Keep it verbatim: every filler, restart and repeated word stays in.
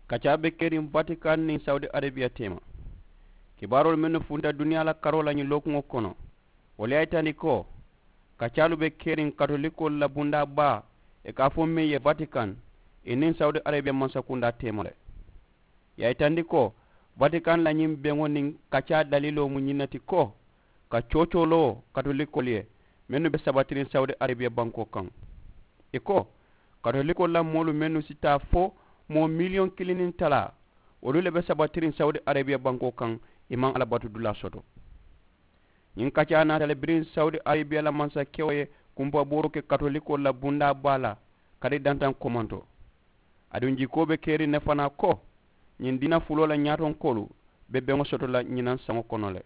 Kaccaa be keriŋ vatikan niŋ sawudi arabiya teema. Kibaaroolu mennu funta duniyaa la karoo la ñiŋ lookuŋo kono, wolu ye a yitandi ko kaccaalu be keriŋ katolikoolu la bundaa baa, ì ka a fo meŋ ye vatikan, ì niŋ sawudi arabiya mansakundaa teema le. Ì ye a yitandi ko vatikan la ñiŋ beŋo niŋ kaccaa daliiloo mu ñiŋ ne ti ko ka coocooloo katolikoolu ye mennu be sabatiriŋ sawudi arabiya bankoo kaŋ. Ì ko katolikoolu la moolu mennu si taa fo moo miliyoŋ kiliŋ niŋ talaa, wolu le be sabatiriŋ sawudi arabiya bankoo kaŋ. Ì maŋ alla batu dulaa soto. Ñiŋ kaccaa naata le biriŋ sawudi arabiya la mansakewo ye kumpabooroo ke katolikoolu la bundaa baa la kari dantaŋ komanto. Aduŋ jikoo be keriŋ ne fanaa ko ñiŋ diina fuloo la ñaatonkoolu be beŋo soto la ñinaŋ saŋo kono le.